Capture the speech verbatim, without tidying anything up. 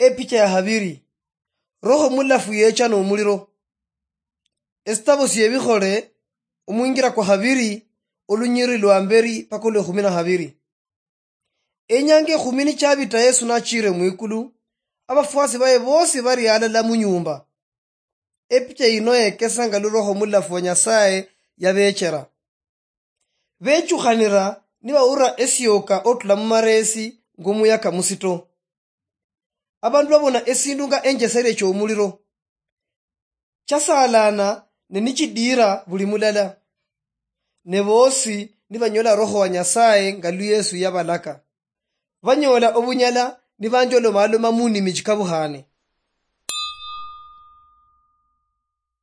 Epicha ya habiri. Roho mulafu yecha nomuliro. Esitabo siebikhole, omwingira kwa habiri, olunyiriri lwa mberi paka olwekhumi na habiri. Enyanga ekhumi nichabita Yesu nachire mwikulu, abafwasi baye bosi bari alala munyumba. Epicha yino yekesa nga lu Roho mulafu wa Nyasaye yabechera. Bechukhanira nibawura esioka otula mumaresi ngomuyaka musito. Abandu babona esindu nga enjesere chomuliro. Chasalana ne nichidira buli mulala. Ne bosi nibanyola Roho wa Nyasaye nga lu Yesu yabalaka. Banyola obunyala nibanjolomaloma munimi chikabukhane.